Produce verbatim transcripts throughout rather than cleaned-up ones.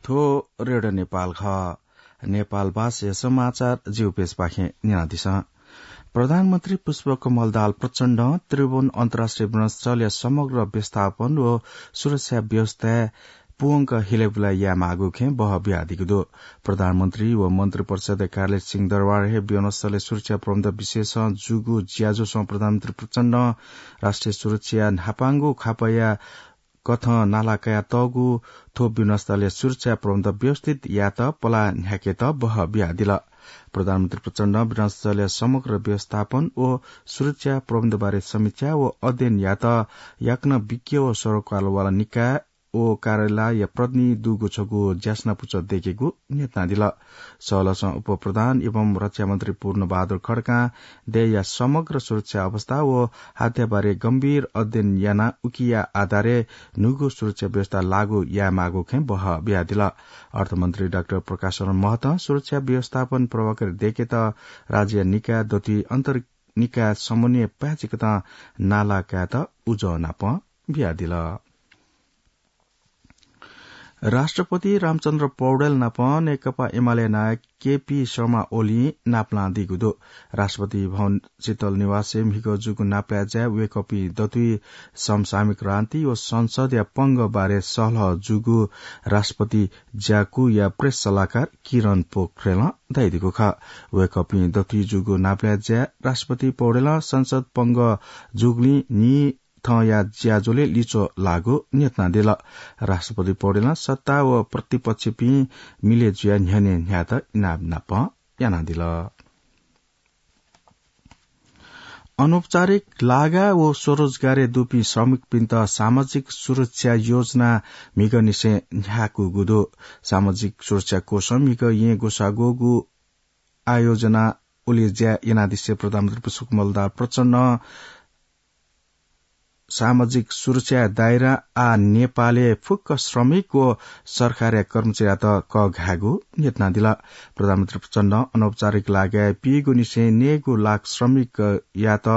थ्व रेडियो नेपाल खः। नेपाल भाषाया समाचार जिगु पेजपाखें न्यनादिसँ। प्रधानमन्त्री पुष्पकमल दाहाल प्रचण्डं त्रिभुवन अन्तर्राष्ट्रिय विमानस्थलया समग्र व्यवस्थापन व सुरक्षा व्यवस्थाय् पूवंक हिलेबुलाय् यायेमाःगु खँय् बहः बियादीगु दु। प्रधानमन्त्री व मन्त्रिपरिषदया कार्यालय सिंहदरबारय् विमानस्थलया सुरक्षा प्रबन्ध विषयसं जूगु ज्याझ्वलय् प्रधानमन्त्री प्रचण्डं राष्ट्रिय सुरक्षाया न्हापांगु खापया कथं नाला कयातःगु थ्व विमानस्थलया सुरक्षा प्रबन्ध व्यवस्थित यायेत पलाः न्ह्याकेत बहः बियादिल। प्रधानमन्त्री प्रचण्डं विमानस्थलया समग्र व्यवस्थापन व सुरक्षा प्रबन्धबारे समीक्षा व अध्ययन यायेत याकनं विज्ञ व सरोकारवाला निकाय व कार्यालयया प्रतिनिधि दुगु छगू ज्यासना पुचः दयेकेगु न्ह्यथनादिल। सहलसं उपप्रधान एवं रक्षामन्त्री पूर्णबहादुर खड्कां देय्‌या समग्र सुरक्षा अवस्था व हात्याबारे गम्भीर अध्ययन यानाः उकिया आधारय् न्हूगु सुरक्षा व्यवस्था लागू यायेमाःगु खँय् बहः बियादिल। अर्थमन्त्री डाक्टर प्रकाश शरण महतं सुरक्षा व्यवस्थापन प्रभावकारी दयेकेत राज्य निकाय दथुइ अन्तर निकाय समन्वय पाय्‌चिकतं नाला कायेत उजं नाप बियादिल। राष्ट्रपति रामचन्द्र पौडेल नाप नेकपा एमाले नायक केपी शर्मा ओलीं नापलां दीगु दु। राष्ट्रपति भवन शीतल निवासय् म्हिगः जूगु नापलाये ज्याय् वय्‌कःपिं दथुइ समसामयिक राजनीति व संसदया पंगः बारे सहलह जूगु राष्ट्रपति ज्याकुया प्रेस सल्लाहकार किरण पोखरेलं धयादीगु खः। वय्‌कःपिं दथुइ जूगु नापलाये ज्याय् राष्ट्रपति पौडेलं संसद पंगः जूगुलिं न्हि थौंया ज्याझ्वलय् लिच्वः लाःगु न्ह्यथनादिल। राष्ट्रपति पौडेलं सत्ता व प्रतिपक्षपिं मिले जुयाः न्ह्यःने न्ह्यायेत इनाप नाप यानादिल। अनौपचारिक लागा व स्वरोजगारय् दुपिं श्रमिकपिन्त सामाजिक सुरक्षा योजना म्हिगःनिसें न्ह्याकूगु दु। सामाजिक सुरक्षा कोषं म्हिगः येँ ग्वसाः ग्वःगु आयोजना उलेज्या यानादिसें प्रधानमन्त्री पुष्पकमल दाहाल प्रचण्डं सामाजिक सुरक्षाया दायरां आः नेपालय् फुक्क श्रमिक व सरकारया कर्मचारीयात कःघायेगु न्ह्यथनादिल। प्रधानमन्त्री प्रचण्डं अनौपचारिक लागाय् पीगुनिसें नयेगु लाख श्रमिकयात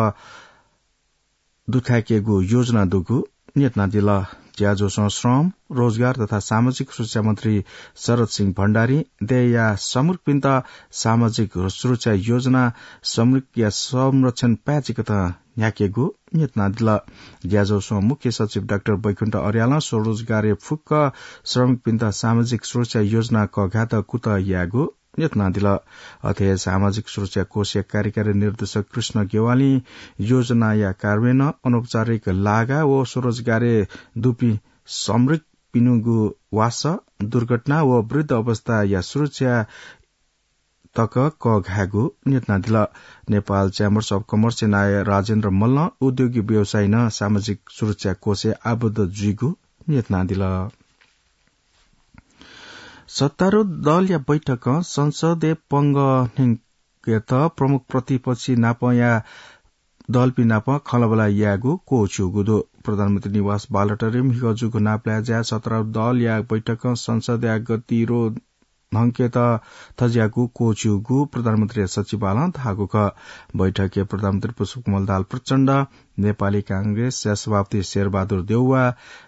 दुथ्याकेगु योजना दुगु न्ह्यथनादिल। ज्याझ्वलय् श्रम, रोजगार तथा सामाजिक सुरक्षा मन्त्री शरद सिंह भण्डारीं देय्‌या श्रमिकपिन्त सामाजिक सुरक्षा योजना श्रमिकया संरक्षण पाय्‌चिकतं न्ह्याकेगु न्ह्यथनादिल। ज्याझ्वलय् मुख्य सचिव डाक्टर बैकुण्ठ अर्यालं स्वरोजगारय् फुक्क श्रमिकपिन्त सामाजिक सुरक्षा योजना कःघायेत कुतः यायेगु न्ह्यथनादिल। अथे हे सामाजिक सुरक्षा कोषया कार्यकारी निर्देशक कृष्ण गेवालीं योजनाया कार्यान्वयनं अनौपचारिक लागा व स्वरोजगारय् दुपिं श्रमिकपिनिगु वासः, दुर्घटना व वृद्ध अवस्थाया सुरक्षा तक कःघायेगु न्ह्यथनादिल। नेपाल Chambers of Commerce नायः राजेन्द्र मल्लं उद्योगी व्यवसायीनं सामाजिक सुरक्षा कोषय् आबद्ध जुइगु न्ह्यथनादिल। सत्तारूढ दलया बैठकं संसदय् पंगः न्यंकेत प्रमुख प्रतिपक्षी नापया दलपिं नाप खँल्हाबल्हा यायेगु क्वःछिउगु दु। प्रधानमन्त्री निवास बालुवाटारय् म्हिगः जूगु नापलाये ज्याय् सत्तारूढ दलया बैठकं संसदया गतिरोध न्यंकेत थज्याःगु क्वःछिउगु प्रधानमन्त्री सचिवालयं धाःगु खः। बैठकय् प्रधानमन्त्री पुष्पकमल दाहाल प्रचण्ड, नेपाली कांग्रेसया सभापति शेरबहादुर देउवा,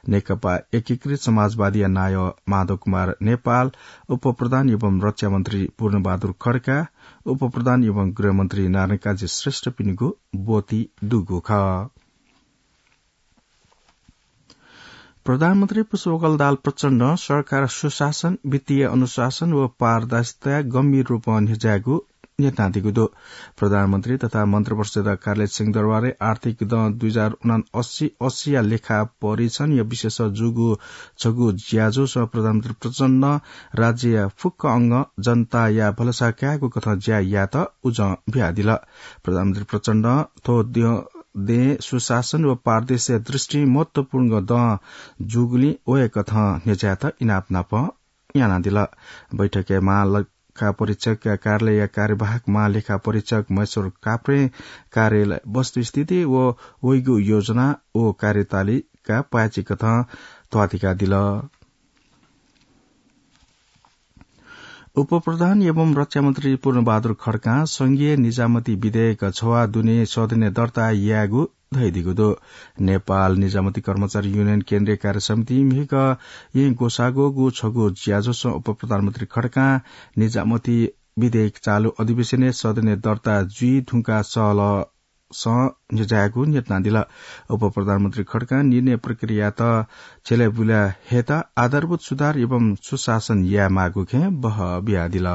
नेकपा एकीकृत समाजवादीया नायः माधव कुमार नेपाल, उपप्रधान एवं रक्षा मन्त्री पूर्णबहादुर खड्का, उपप्रधान एवं गृहमन्त्री नारायणकाजी श्रेष्ठपिनिगु ब्वति दुगु खः। प्रधानमन्त्री पुष्पकमल दाहाल प्रचण्डं सरकार सुशासन, वित्तीय अनुशासन व पारदर्शिताय् गम्भीर रूपं न्ह्यज्यायेगु न्ह्यथनादीगु दु। प्रधानमन्त्री तथा मन्त्रिपरिषद् कार्यालय सिंहदरबारय् आर्थिक दँ दुई हजार उनासी अस्सीया लेखा परीक्षणया विषयय् जूगु छगू ज्याझ्वलय् प्रधानमन्त्री प्रचण्डं राज्यया फुक्क अंगं जनताया भलसा कायेगु कथं ज्या यायेत उजं बियादिल। प्रधानमन्त्री प्रचण्डं थ्व दँ दँय् सुशासन व पारदर्शिता दृष्टिं महत्वपूर्ण दँ जूगुलिं वय्कथं न्ह्यज्यायेत इनाप नाप यानादिल। बैठकय् महालेखा परीक्षकया कार्यालयया कार्यवाहक महालेखा परीक्षक महेश्वर काफ्रें कार्यालय वस्तुस्थिति व वइगु योजना व कार्यतालिका पाय्चिकथं त्वातिकादिल। उपप्रधान एवं रक्षा मन्त्री पूर्णबहादुर खड्कां संघीय निजामती विधेयक छवा दुने सदनय् दर्ता यायेगु धयादीगु दु। नेपाल निजामती कर्मचारी युनियन केन्द्रीय कार्य समिति म्हिगः येँ ग्वसाःग्वःगु छगू ज्याझ्वलय् उपप्रधानमन्त्री खड्कां निजामती विधेयक चालु अधिवेशनय् सदनय् दर्ता जुइ धुंकाः सहलह सं न्ह्यज्यायेगु न्यनादिल। उपप्रधानमन्त्री खड्कां निर्णय प्रक्रियायात छ्यलाबुला हयेत आधारभूत सुधार एवं सुशासन यायेमाःगु खँय् बहः बियादिल।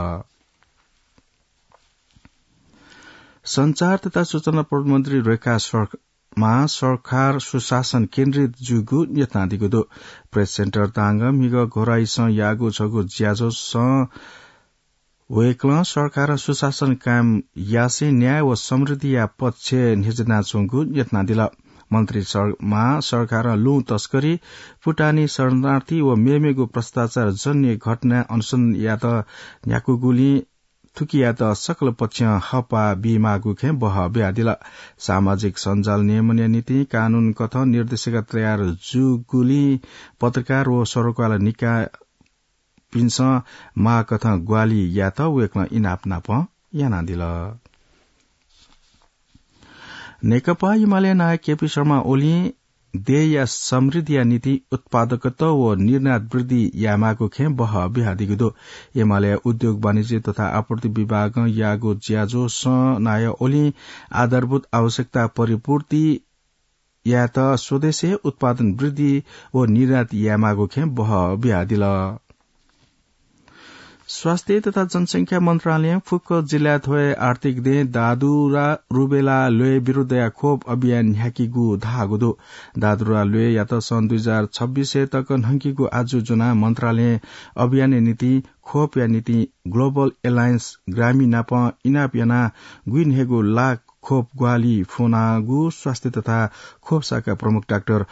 सञ्चार तथा सूचना प्रविधि मन्त्री रेखा शर्मा सरकार सुशासन केन्द्रित जूगु न्यनादीगु दु। प्रेस सेन्टर तांग म्हिगः घोराइसं याःगु छगू ज्याझ्वलय् वय्कलं सरकारं सुशासन कायम यासें न्याय व समृद्धिया पक्षय् न्ह्यज्यानाच्वंगु न्यनादिल। मन्त्री शर्मां सरकारं लुँ तस्करी, फुटानी शरणार्थी व मेमेगु भ्रष्टाचार जन्य घटना अनुसन्धान यायेत न्ह्याकूगुलिं थुकियात सकल पक्षं हःपाः बीमाःगु खँय् बहः बियादिल। सामाजिक सञ्जाल नियमनया निंतिं कानून कथं निर्देशिका तयार जूगुलिं पत्रकार व सरोकारवाला निकाय पिन्सं माःकथं ग्वाहालि यायेत वय्कलं इनाप नापं यानादिल। नेकपा एमाले नायः केपी शर्मा ओलीं देय्‌या समृद्धिया निंतिं उत्पादकता व निर्यात वृद्धि यायेमाःगु खँय् बहः बियादीगु दु। एमाले उद्योग वाणिज्य तथा आपूर्ति विभागं याःगु ज्याझ्वलय् नायः ओलीं आधारभूत आवश्यकता परिपूर्ति यायेत स्वदेशय् उत्पादन वृद्धि व निर्यात यायेमाःगु खँय् बहः बियादिल। स्वास्थ्य तथा जनसंख्या मन्त्रालयं फुक्क जिल्लाय् थ्व हे आर्थिक दँय् दादुरा रुबेला ल्वय् विरुद्धया खोप अभियान न्ह्याकीगु धाःगु दु। दादुरा ल्वय्‌यात सन् दुई हजार छब्बीस हे तक न्हंकीगु आजु ज्वनाः मन्त्रालयं अभियानया निंतिं खोपया निंतिं ग्लोबल एलायन्स ग्रामीण नाप इनाप यानाः गुइन्हय्‌गू लाख खोप ग्वाहालि फ्वनागु स्वास्थ्य तथा खोप शाखा प्रमुख डाक्टर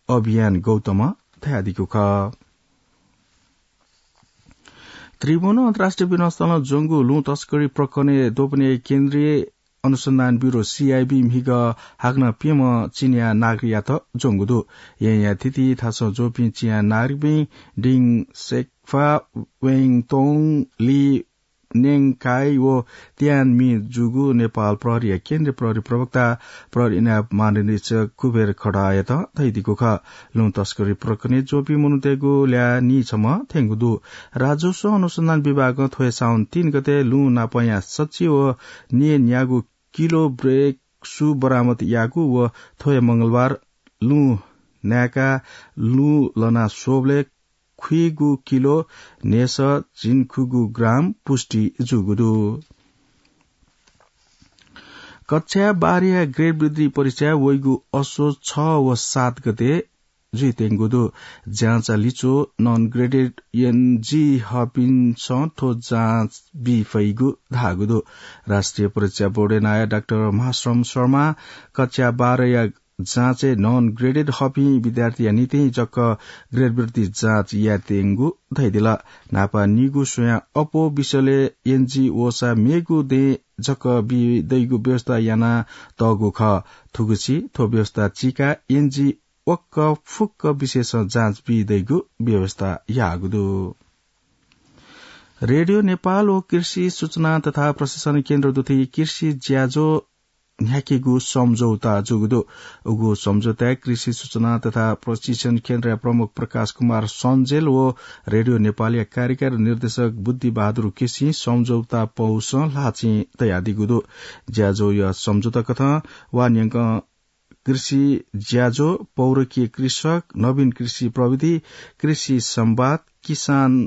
अभियान गौतमं धयादीगु खः। त्रिभुवन अन्तर्राष्ट्रिय विमानस्थलं ज्वंगु लुँ तस्करी प्रकरणय् द्वपनय् केन्द्रीय अनुसन्धान ब्युरो, सीआइबी, म्हिगः हाकनं प्यम्ह चिनियाँ नागरिकयात ज्वंगु दु। येँया थीथी थासं ज्वःपिं चिनियाँ नागरिकपिं डिङ सेक्फा, वेङ तोङ, ली नेङकाई व त्यान मी जूगु नेपाल प्रहरीया केन्द्रीय प्रहरी प्रवक्ता प्रहरी इनाप महानिरीक्षक कुबेर खड्कायात धयादीगु खः। लुँ तस्करी प्रकरणय् ज्वःपिं मनूतय्‌गु ल्याः नीछम्ह थ्यंगु दु। राजस्व अनुसन्धान विभागं थ्व हे साउन तीन गते लुँ नापंया सच्छि व न्यय्‌न्यागू किलो ब्रेक सु बरामद याःगु व थ्व हे मंगलबार लुँ नाय्‌काः लुँ लना स्वःबलय् खुइगू किलो न्हय्‌सः झिंखुगू ग्राम पुष्टि जूगु दु। कक्षा बाह्रया ग्रेड वृद्धि परीक्षा वइगु असोज छ व सात गते जुइत्यंगु दु। जाँचया लिच्वः नन ग्रेडेड एनजी हःपिन्सं थ्व जाँच बी फइगु धाःगु दु। राष्ट्रिय परीक्षा बोर्डया नायः डाक्टर महाश्रम शर्मां कक्षा बाह्रया जाँचय् नन ग्रेडेड हःपिं विद्यार्थीया निंतिं जक ग्रेड वृद्धि जाँच यायेत्यंगु धयादिल। न्हापा निगू स्वयां अप्वः विषयलय् एनजी वःसा मेगु दँय् जक बी दइगु व्यवस्था यानातःगु खः। थुगुसी थ्व व्यवस्था चीकाः एनजी वक्क फुक्क विषयसं जाँच बी दइगु व्यवस्था याःगु दु। रेडियो नेपाल व कृषि सूचना तथा प्रशिक्षण केन्द्र दुथुइ कृषि ज्याझ्वः न्ह्याकेगु सम्झौता जूगु दु। उगु सम्झौताय् कृषि सूचना तथा प्रशिक्षण केन्द्रया प्रमुख प्रकाश कुमार सञ्जेल व रेडियो नेपालया कार्यकारी निर्देशक बुद्धि बहादुर केसीं सम्झौता पौसं ल्हाःचिं तयादीगु दु। ज्याझ्वःया सम्झौता कथं वा न्यंकं कृषि ज्याझ्वः, पौरखी कृषक, नवीन कृषि प्रविधि, कृषि संवाद, किसान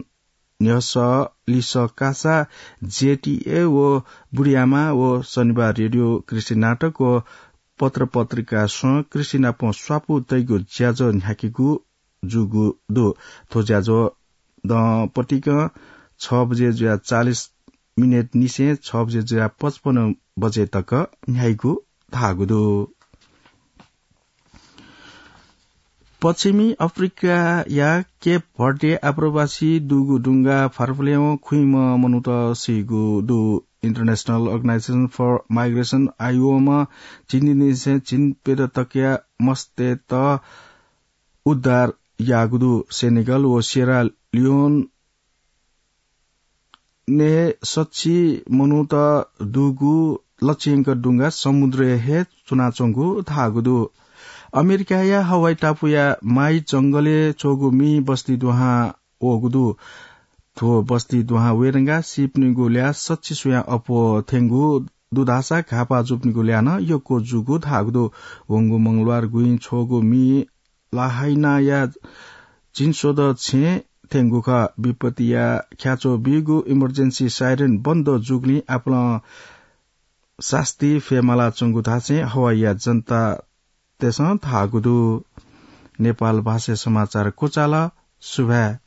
न्ह्यसः लिसः कासा, जेटीए व बुढीआमा व शनिबार रेडियो कृषि नाटक व पत्र पत्रिकासं कृषि नाप स्वापू तइगु ज्याझ्वः न्ह्याकेगु जूगु दु। थ्व ज्याझ्वः दँ पतिकं छ बजे जुयाः चालिस मिनेट निसें छ बजे जुयाः पचपन्न बजे तक न्ह्याइगु धाःगु दु। पश्चिमी अफ्रिकाया केप भर्डे आप्रवासी दुगु डुंगा फारफुल्यं खुइम्ह मनूत सीगु दु। International Organization for Migration, आइओएमं झिंनिसें झिंप्यदँ तकया मस्तय्त उद्धार याःगु दु। सेनेगल व सियरा लियोन ने सच्छि मनूत दुगु लच्यंक दुंगा समुद्रय् हे च्वनाच्वंगु धाःगु दु। अमेरिकाया हवाई टापुया माइ जंगलय् च्वंगु मि बस्ती दुहां वःगु दु। थ्व बस्ती दुहां वयेधंगा सीपिनिगु ल्याः सच्छि स्वयां अप्वः थ्यंगु दु धाःसा घाःपाः जूपिनिगु ल्याः नं यक्व जूगु धाःगु दु। वंगु मंगलबार गुँइ छ्वःगु मि लाहाइनाया झिंस्वदँ छेँ थ्यंगु खः। विपत्तिया ख्याच्वः बीगु emergency siren बन्द जूगुलिं आपालं सास्ती फयेमालाच्वंगु धासें हवाईया जनतातय्सं धाःगु दु। नेपाल भाषाय् समाचार क्वचाल। सुभाय्।